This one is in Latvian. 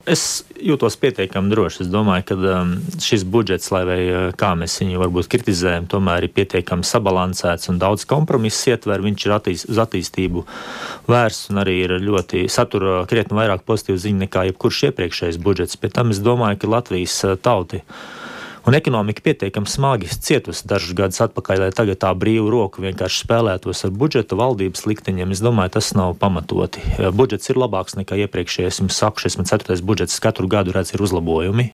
Es jūtos pietiekami droši. Es domāju, ka šis budžets, lai vai kā mēs viņu varbūt kritizējam, tomēr ir pietiekami sabalansēts un daudz kompromisu ietver. Viņš ir uz attīstību vērsts un arī ir ļoti satura krietni vairāk pozitīvu ziņu nekā jebkurš iepriekšējais budžets. Pēc tam es domāju, ka Latvijas tauti un ekonomika pietiekami smagi cietusi dažus gadus atpakaļ, lai tagad tā brīvu roku vienkārši spēlētos ar budžetu valdības likteņiem. Es domāju, tas nav pamatoti. Budžets ir labāks nekā iepriekšējais. Jums saku, 4. budžets katru gadu redz ir uzlabojumi.